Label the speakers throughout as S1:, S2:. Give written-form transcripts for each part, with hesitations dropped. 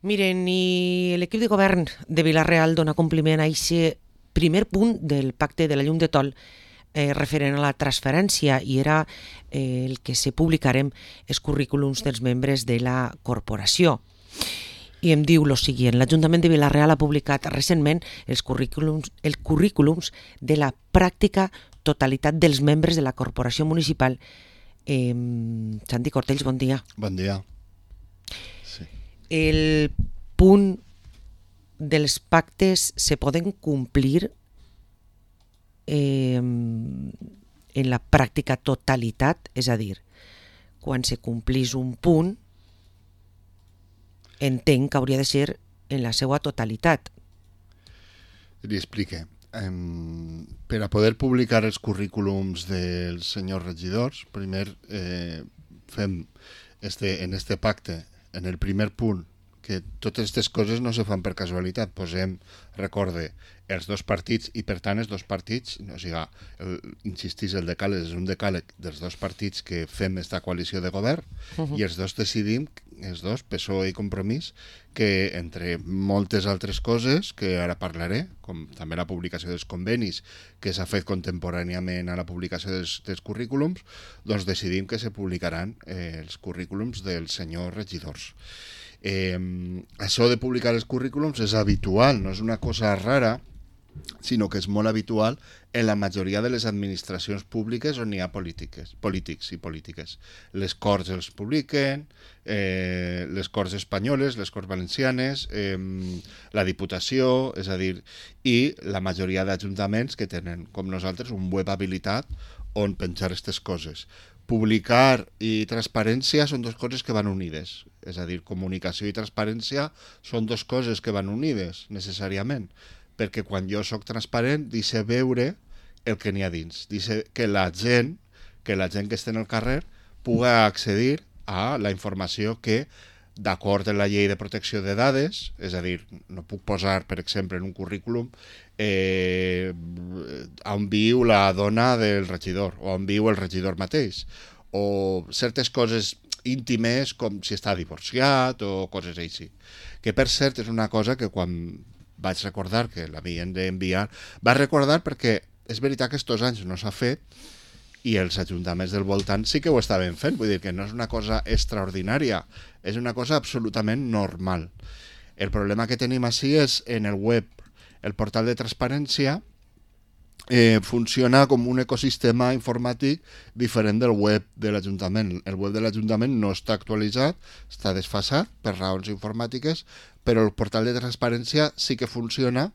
S1: Miren, i l'equip de govern de Vila-real dona compliment a aquest primer punt del pacte de la llum de Tol referent a la transferència, i era el que se publicarem els currículums dels membres de la corporació. I em diu lo següent: l'Ajuntament de Vila-real ha publicat recentment els currículums de la pràctica totalitat dels membres de la corporació municipal. Santi Cortells, bon dia.
S2: Bon dia. Sí.
S1: El punt dels pactes se poden complir en la pràctica totalitat, és a dir, quan se complís un punt, entenc que hauria de ser en la seva totalitat.
S2: Li explique. Per a poder publicar els currículums dels senyors regidors, primer fem en este pacte, en el primer punt, que totes aquestes coses no se fan per casualitat. Posem, recorde, els dos partits, i per tant els dos partits, o sigui, insistís, el decàleg és un decàleg dels dos partits que fem esta coalició de govern, i els dos decidim, els dos, PSOE i Compromís, que entre moltes altres coses, que ara parlaré, com també la publicació dels convenis, que s'ha fet contemporàniament a la publicació dels currículums, doncs decidim que se publicaran els currículums dels senyors regidors. Això de publicar els currículums és habitual, no és una cosa rara, sinó que és molt habitual en la majoria de les administracions públiques on hi ha polítics i polítiques. Les Corts els publiquen, les Corts espanyoles, les Corts valencianes, la Diputació, és a dir, i la majoria d'ajuntaments que tenen, com nosaltres, un web habilitat on penjar aquestes coses. Publicar i transparència són dues coses que van unides, és a dir, comunicació i transparència són dues coses que van unides, necessàriament, perquè quan jo sóc transparent, deixo veure el que n'hi ha dins, deixo que la gent que està en el carrer puga accedir a la informació que, d'acord amb la llei de protecció de dades, és a dir, no puc posar, per exemple, en un currículum on viu la dona del regidor o on viu el regidor mateix, o certes coses íntimes com si està divorciat o coses així. Que per cert és una cosa que quan vaig recordar que l'havien d'enviar, vaig recordar perquè és veritat que estos anys no s'ha fet i els ajuntaments del voltant sí que ho estaven fent, vull dir que no és una cosa extraordinària, és una cosa absolutament normal. El problema que tenim així és en el web. El portal de transparència funciona com un ecosistema informàtic diferent del web de l'Ajuntament. El web de l'Ajuntament no està actualitzat, està desfasat per raons informàtiques, però el portal de transparència sí que funciona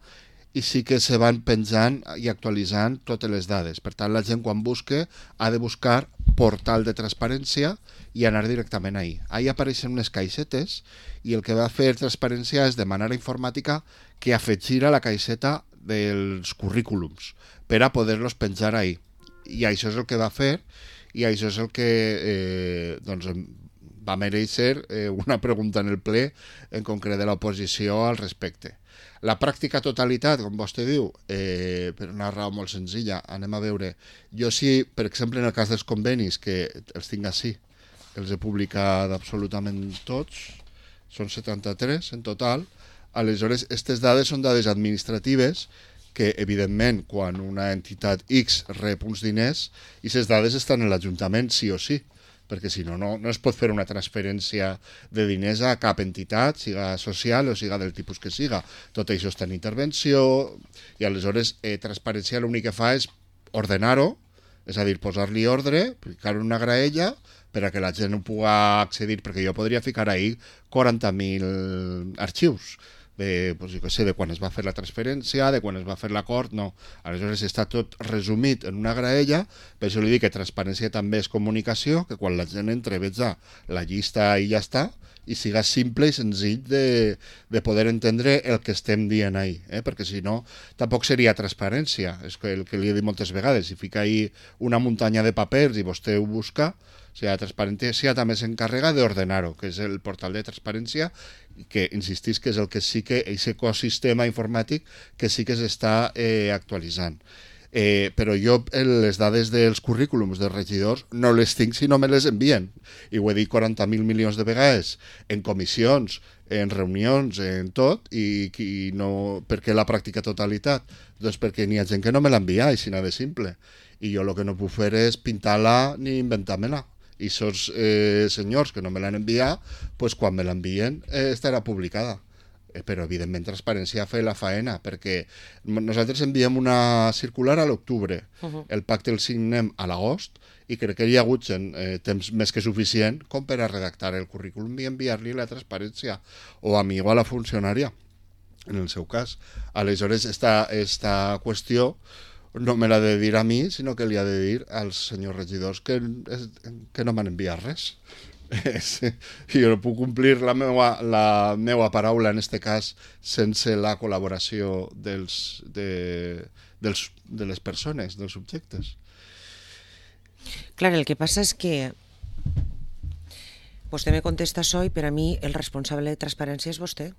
S2: i sí que se van penjant i actualitzant totes les dades. Per tant, la gent quan busque ha de buscar portal de transparència i anar directament ahí. Ahí apareixen unes caixetes i el que va fer transparència és demanar a informàtica que afegirà la caixeta dels currículums per a poder-los penjar ahí. I això és el que va fer i això és el que va mereixer una pregunta en el ple en concret de l'oposició al respecte. La pràctica totalitat, com vostè diu, per una raó molt senzilla, anem a veure. Jo sí, per exemple, en el cas dels convenis, que els tinc així, els he publicat absolutament tots, són 73 en total, aleshores, aquestes dades són dades administratives que, evidentment, quan una entitat X rep uns diners, i aquestes dades estan en l'Ajuntament sí o sí, perquè si no, no es pot fer una transferència de diners a cap entitat, siga social o siga del tipus que siga. Tot això està en intervenció i aleshores transparència l'únic que fa és ordenar-ho, és a dir, posar-li ordre, ficar una graella per a que la gent no pugui accedir, perquè jo podria ficar ahí 40.000 arxius, de quan es va fer la transferència, de quan es va fer l'acord, no. Aleshores està tot resumit en una graella, per això li dic que transparència també és comunicació, que quan la gent entre veja la llista i ja està, i siga simple i senzill de poder entendre el que estem dient ahí, perquè si no tampoc seria transparència, és el que li he dit moltes vegades, si fica ahí una muntanya de papers i vostè ho busca, o sigui, la transparència també s'encarrega d'ordenar-ho, que és el portal de transparència, que insistís que és el que sí que, aquest ecosistema informàtic que sí que s'està actualitzant. Però jo les dades dels currículums dels regidors no les tinc si no me les envien. I ho he dit 40.000 milions de vegades en comissions, en reunions, en tot, i no, per què la pràctica totalitat? Doncs perquè n'hi ha gent que no me l'envia, així de simple. I jo el que no puc fer és pintar-la ni inventar-me-la. I aquests senyors que no me l'han enviat, pues, quan me l'envien estarà publicada. Però evidentment transparència fer la faena, perquè nosaltres enviem una circular a l'octubre, el pacte el signem a l'agost, i crec que hi ha hagut temps més que suficient com per a redactar el currículum i enviar-li la transparència, o a mi o a la funcionària, en el seu cas. Aleshores, esta qüestió no me l'ha de dir a mi, sinó que li ha de dir als senyors regidors que no m'han enviat res. Jo no puc complir la meua paraula en este cas sense la col·laboració de les persones, dels subjectes.
S1: Clar, el que passa és que vostè me contesta això i per a mi el responsable de transparència és vostè.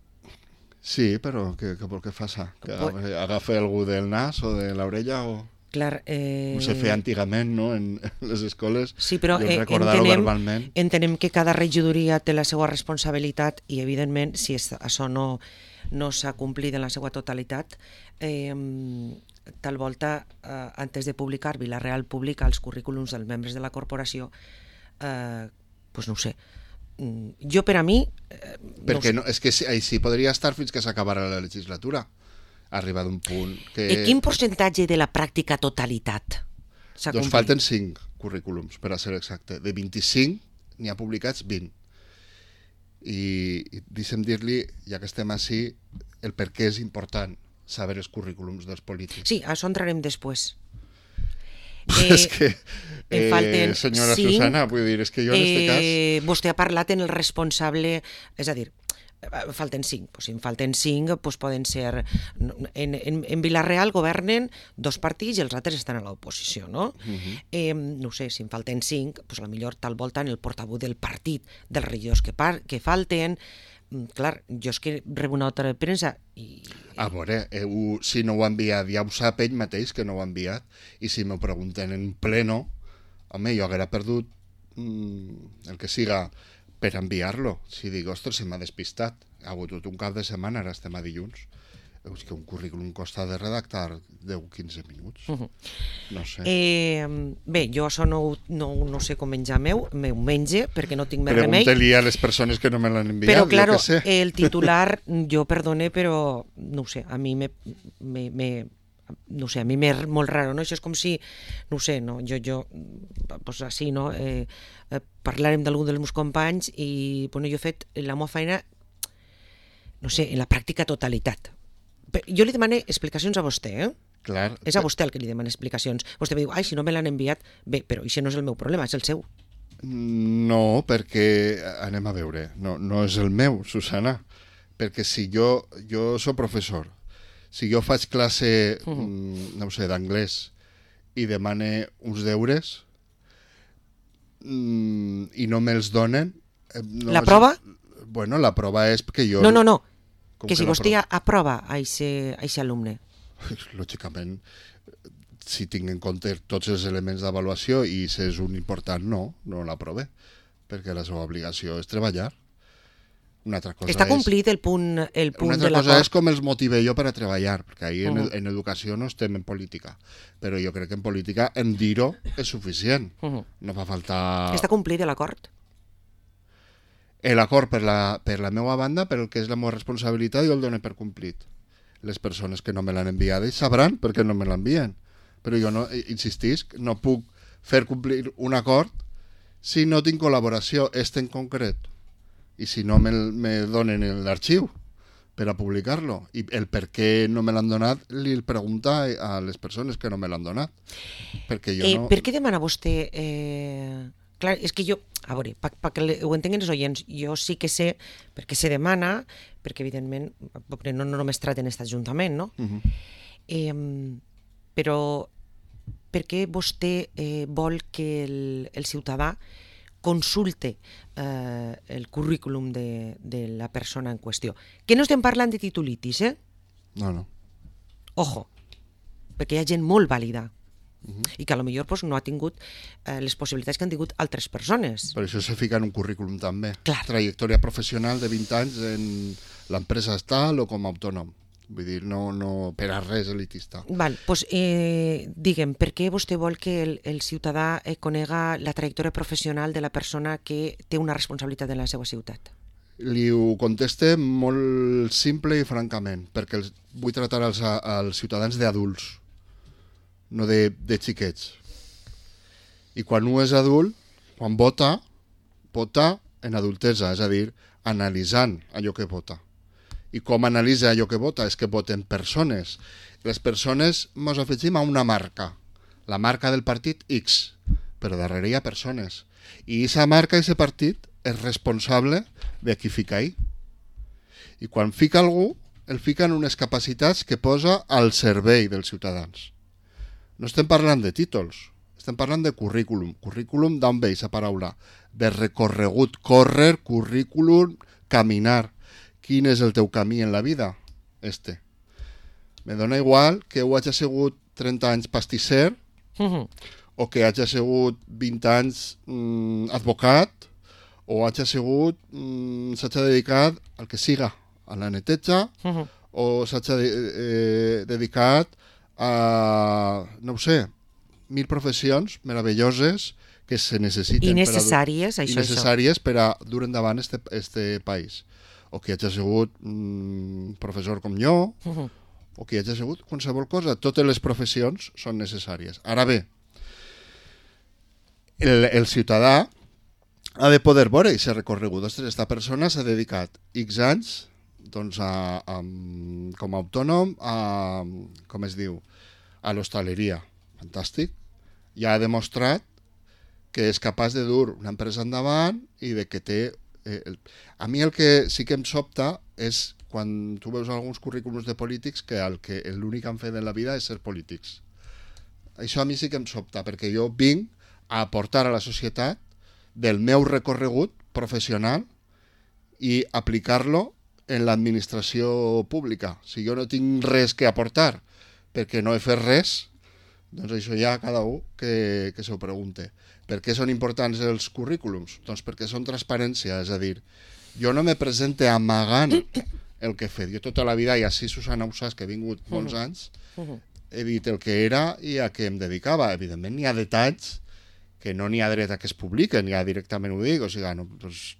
S2: Sí, però què vol que faça? Que agafi algú del nas o de l'orella o...
S1: Clar,
S2: com se feia antigament, no?, en les escoles.
S1: Sí, però entenem que cada regidoria té la seva responsabilitat i, evidentment, si això no s'ha complit en la seva totalitat, tal volta, antes de publicar, Vila-real publica els currículums dels membres de la corporació, doncs no ho sé. Jo, per a mi...
S2: Perquè és que així podria estar fins que s'acabara la legislatura. Arriba d'un punt que...
S1: I quin percentatge de la pràctica totalitat s'ha complit?
S2: Doncs falten 5 currículums, per a ser exacte. De 25 n'hi ha publicats 20. I deixem dir-li, ja que estem així, el per què és important saber els currículums dels polítics.
S1: Sí, a això entrarem després.
S2: És que, senyora Susana, vull dir, és que jo en aquest cas...
S1: Vostè ha parlat en el responsable, és a dir, falten 5, pues si en falten 5 pues poden ser en Vila-real governen 2 partits i els altres estan a l'oposició, no? No sé, si en falten 5, pues a lo millor tal volta en el portaveu del partit dels regidors que falten. Clar, jo és que rebo una nota de premsa i...
S2: A veure, si no ho ha enviat, ja ho sap ell mateix que no ho ha enviat, i si m'ho pregunten en pleno, home, jo haguera perdut el que siga per enviar-lo. Si dic, ostres, se m'ha despistat. Ha hagut tot un cap de setmana, ara estem a dilluns. És que un currículum costa de redactar 10-15 minuts. No sé.
S1: Bé, jo això no sé com menjar meu menge, perquè no tinc més remei.
S2: Pregunta-li a les persones que no me l'han enviat.
S1: Però, claro, el titular, jo perdone, però no sé, a mi no sé, a mi m'és molt raro, no? Això és com si, no sé, no? Jo pues així, no? Parlarem d'algun dels meus companys i, bueno, jo he fet la meva feina, no sé, en la pràctica totalitat. Jo li demano explicacions a vostè,
S2: Clar.
S1: És a vostè el que li demana explicacions. Vostè me diu, ai, si no me l'han enviat, bé, però això no és el meu problema, és el seu.
S2: No, perquè, anem a veure, no és el meu, Susana, perquè si jo soc professor, si jo faig classe, no sé, d'anglès i demane uns deures i no me'ls donen...
S1: La prova?
S2: Bueno, la prova és que jo...
S1: No, que si vostè aprova a aquest alumne.
S2: Lògicament, si tinc en compte tots els elements d'avaluació i si és un important, no l'aprove, perquè la seva obligació és treballar. Una altra cosa
S1: està complit el punt de l'acord.
S2: Una altra cosa és com els motive jo per a treballar, perquè ahir en educació no estem en política, però jo crec que en política en dir-ho és suficient. No fa falta...
S1: Està complit l'acord?
S2: L'acord per la meva banda, per el que és la meva responsabilitat, jo el dono per complit. Les persones que no me l'han enviada sabran per què no me l'envien. Però jo, no, insistisc, no puc fer complir un acord si no tinc col·laboració, en concret. I si no me donen l'arxiu per a publicar-lo. I el per què no me l'han donat li pregunta a les persones que no me l'han donat. Perquè jo no...
S1: Per què demana vostè... Clar, és que jo, a veure, perquè ho entenguin els oients, jo sí que sé, perquè se demana, perquè evidentment no només traten aquest ajuntament, no? Però per què vostè vol que el ciutadà consulte el currículum de la persona en qüestió? Que no estem parlant de titulitis,
S2: No.
S1: Ojo. perquè hi ha gent molt vàlida i que potser pues, no ha tingut les possibilitats que han tingut altres persones.
S2: Per això se fica en un currículum també.
S1: Clar.
S2: Trajectòria professional de 20 anys en l'empresa tal o com a autònom. Vull dir, no per a res elitista.
S1: Val, pues, digue'm, per què vostè vol que el ciutadà conega la trajectòria professional de la persona que té una responsabilitat en la seva ciutat?
S2: Li ho conteste molt simple i francament, perquè vull tratar els ciutadans d'adults, no de xiquets. I quan un és adult, quan vota en adultesa, és a dir, analitzant allò que vota. I com analitza allò que vota? És que voten persones. Les persones ens afegim a una marca, la marca del partit X, però darrere hi ha persones. I aquesta marca, aquest partit, és responsable de qui fica ahí. I quan fica algú, el fica en unes capacitats que posa al servei dels ciutadans. No estem parlant de títols, estem parlant de currículum. Currículum d'on ve aquesta paraula? De recorregut, córrer, currículum, caminar. Quin és el teu camí en la vida? Me dona igual que ho hagi sigut 30 anys pastisser o que hagi sigut 20 anys advocat o hagi sigut s'hagi dedicat al que siga, a la neteja o s'hagi dedicat a, no ho sé, 1000 professions meravelloses que se necessiten
S1: i necessàries,
S2: per a dur endavant este país. O que hagi sigut professor com jo, o que hagi sigut qualsevol cosa. Totes les professions són necessàries. Ara bé, el ciutadà ha de poder veure aquest recorregut. Ostres, aquesta persona s'ha dedicat X anys doncs, com a autònom com es diu, a l'hostaleria. Fantàstic. Ja ha demostrat que és capaç de dur una empresa endavant i de que té... A mi el que sí que em sobta és quan tu veus alguns currículums de polítics que l'únic que han fet en la vida és ser polítics. Això a mi sí que em sobta, perquè jo vinc a aportar a la societat del meu recorregut professional i aplicar-lo en l'administració pública. Si jo no tinc res que aportar perquè no he fet res, doncs això ja cada un que s'ho pregunte. Per què són importants els currículums? Doncs perquè són transparència, és a dir, jo no me presente amagant el que he fet. Jo tota la vida, i així Susana ho saps, que he vingut molts anys, he dit el que era i a què em dedicava. Evidentment n'hi ha detalls que no n'hi ha dret a que es publiquen, ja directament ho dic, o sigui,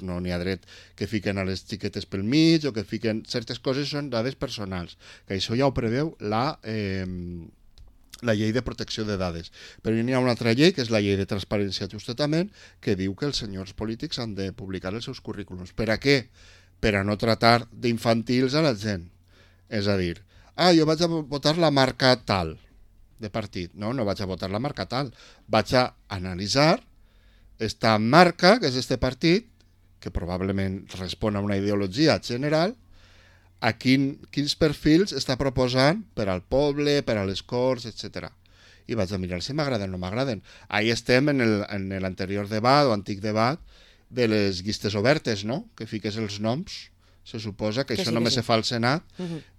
S2: no n'hi ha dret que fiquen a les xiquetes pel mig o que fiquen... Certes coses són dades personals, que això ja ho preveu la llei de protecció de dades. Però n'hi ha una altra llei, que és la llei de transparència justament, que diu que els senyors polítics han de publicar els seus currículums. Per a què? Per a no tratar d'infantils a la gent. És a dir, jo vaig a votar la marca tal de partit. No vaig a votar la marca tal. Vaig a analitzar esta marca, que és este partit, que probablement respon a una ideologia general, a quins perfils està proposant per al poble, per a les Corts, etc. I vaig a mirar si m'agraden o no m'agraden. Ahí estem en l'anterior debat o antic debat de les llistes obertes, no? Que fiques els noms. Se suposa que això només se fa al Senat.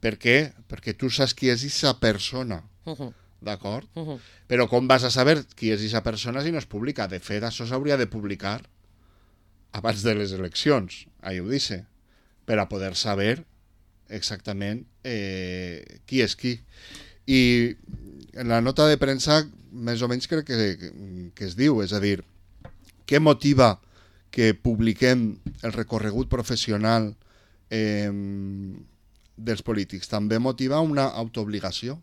S2: Per què? Perquè tu saps qui és aquesta persona. D'acord? Però com vas a saber qui és aquesta persona si no es publica? De fet, això s'hauria de publicar abans de les eleccions, ahí ho dice, per a poder saber exactament qui és qui. I en la nota de premsa més o menys crec que es diu, és a dir, què motiva que publiquem el recorregut professional dels polítics? També motiva una autoobligació.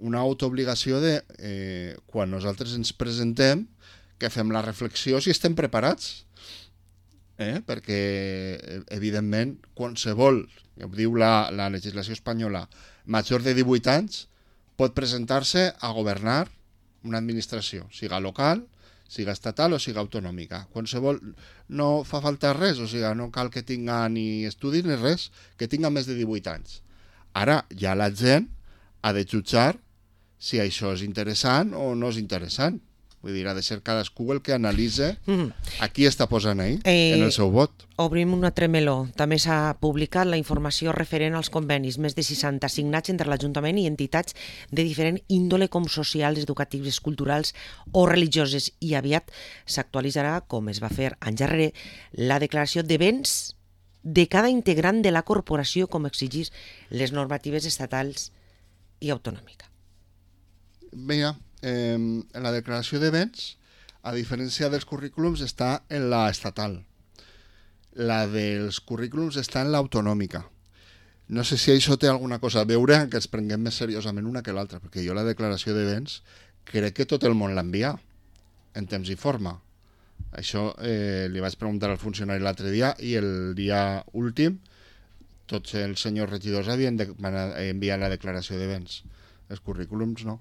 S2: Una autoobligació de, quan nosaltres ens presentem, que fem la reflexió si estem preparats. Perquè, evidentment, qualsevol, ja ho diu la legislació espanyola, major de 18 anys, pot presentar-se a governar una administració, siga local, siga estatal o siga autonòmica. Qualsevol, no fa falta res, o sigui, no cal que tinga ni estudis ni res, que tinga més de 18 anys. Ara, ja la gent ha de jutjar si això és interessant o no és interessant. Vull dir, ha de ser cadascú el que analitza a qui està posant ahí, en el seu vot.
S1: Obrim un altre meló. També s'ha publicat la informació referent als convenis, més de 60 signats entre l'Ajuntament i entitats de diferent índole com socials, educatives, culturals o religioses, i aviat s'actualitzarà, com es va fer anys darrere, la declaració de béns de cada integrant de la corporació, com exigís les normatives estatals i autonòmica.
S2: Mira, en la declaració de béns, a diferència dels currículums, està en la estatal. La dels currículums està en l'autonòmica. No sé si això té alguna cosa a veure que ens prenguem més seriosament una que l'altra, perquè jo la declaració de béns crec que tot el món l'envia en temps i forma. Això li vaig preguntar al funcionari l'altre dia i el dia últim tots els senyors regidors havien enviat la declaració de béns. Els currículums no.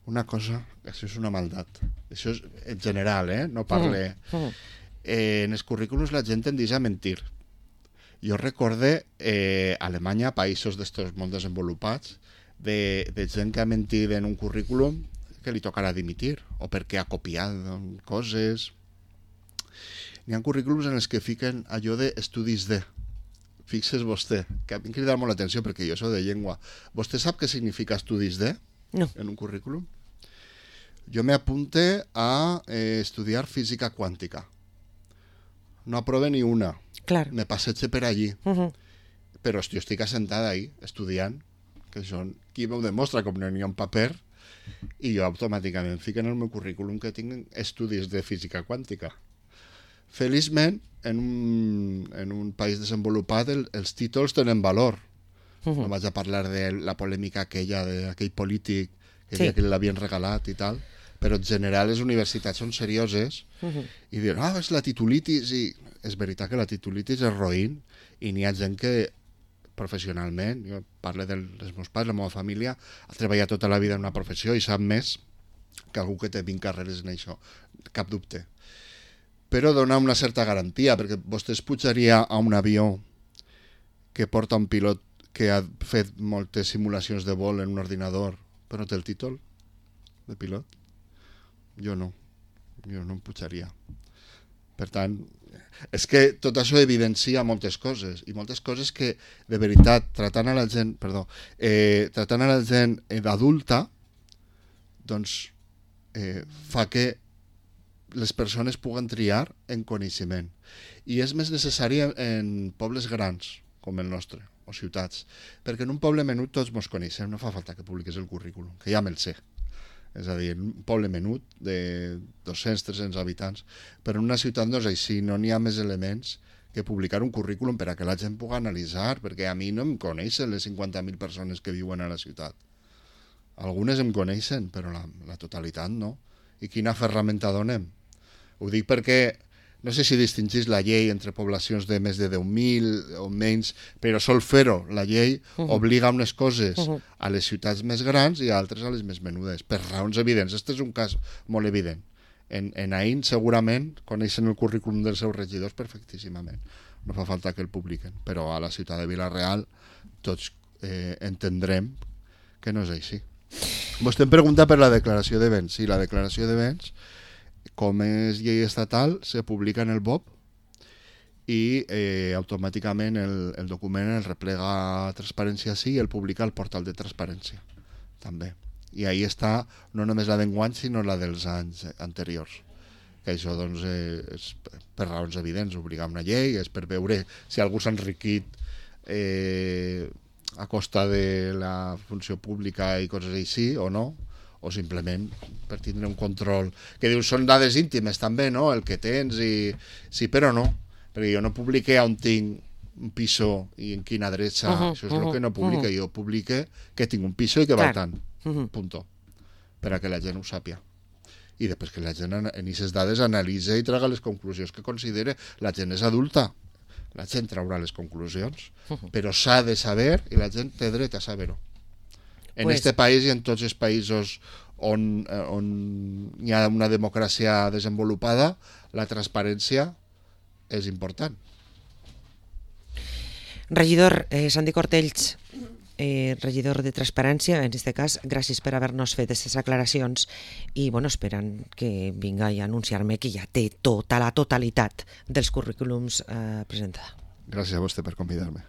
S2: Una cosa, això és una maldat. Això és en general, no parle... En els currículums la gent tendeix a mentir. Jo recorde Alemanya, països d'estos molt desenvolupats, de gent que ha mentit en un currículum que li tocarà dimitir, o perquè ha copiat coses. N'hi ha currículums en els que fiquen allò d'estudis de... Fixes vostè, que a mi em crida molt l'atenció perquè jo soc de llengua. Vostè sap què significa estudis de?
S1: No.
S2: En un currículum? Jo me apunte a estudiar física quàntica. No aprove ni una.
S1: Clar.
S2: Me passege per allí. Però jo estic assentada ahí, estudiant, que són... Qui m'ho demostra, com no hi ha un paper, i jo automàticament fico en el meu currículum que tinc estudis de física quàntica. Feliçment, en un país desenvolupat, els títols tenen valor. No vaig a parlar de la polèmica aquella d'aquell polític que deia que l'havien regalat i tal, però en general les universitats són serioses i diuen, és la titulitis, i és veritat que la titulitis és roïn i n'hi ha gent que professionalment, jo parlo dels meus pares, la meva família, ha treballat tota la vida en una professió i sap més que algú que té 20 carreres en això, cap dubte. Però dona una certa garantia, perquè vostè es pujaria a un avió que porta un pilot que ha fet moltes simulacions de vol en un ordinador, però no té el títol de pilot? Jo no em pujaria. Per tant, és que tot això evidencia moltes coses, i moltes coses que, de veritat, tratant a la gent adulta, doncs fa que les persones puguen triar en coneixement. I és més necessari en pobles grans, com el nostre, o ciutats, perquè en un poble menut tots mos coneixem, no fa falta que publiques el currículum, que ja me'l sé. És a dir, un poble menut de 200-300 habitants, però en una ciutat no és així, no n'hi ha més elements que publicar un currículum per a que la gent pugui analitzar, perquè a mi no em coneixen les 50.000 persones que viuen a la ciutat. Algunes em coneixen, però la totalitat no. I quina ferramenta donem? Ho dic perquè no sé si distingís la llei entre poblacions de més de 10.000 o menys, però sol fer-ho. La llei obliga unes coses a les ciutats més grans i a altres a les més menudes, per raons evidents. Este és un cas molt evident. En Aín segurament coneixen el currículum dels seus regidors perfectíssimament. No fa falta que el publiquen, però a la ciutat de Vila-real tots entendrem que no és així. Vostè em pregunta per la declaració de béns. Sí, la declaració de béns, com és llei estatal, se publica en el BOP i automàticament el document el replega a Transparència Sí i el publica al portal de Transparència també. I ahí està no només la d'enguany sinó la dels anys anteriors. Que això doncs, és per raons evidents, obligar una llei, és per veure si algú s'ha enriquit a costa de la funció pública i coses així o no, o simplement per tindre un control que dius són dades íntimes també, no? El que tens i... Sí, però no, perquè jo no publique on tinc un piso i en quina adreça, això és el que no publique, jo publique que tinc un piso i que val tant, punto, per a que la gent ho sàpia. I després que la gent en aquestes dades analitza i traga les conclusions que considere. La gent és adulta, la gent traurà les conclusions, però s'ha de saber i la gent té dret a saber-ho. En este país i en tots els països on hi ha una democràcia desenvolupada, la transparència és important.
S1: Regidor, Santi Cortells, regidor de Transparència, en aquest cas, gràcies per haver-nos fet aquestes aclaracions i esperant que vinga i anunciar-me que ja té tota la totalitat dels currículums presentada.
S2: Gràcies a vostè per convidar-me.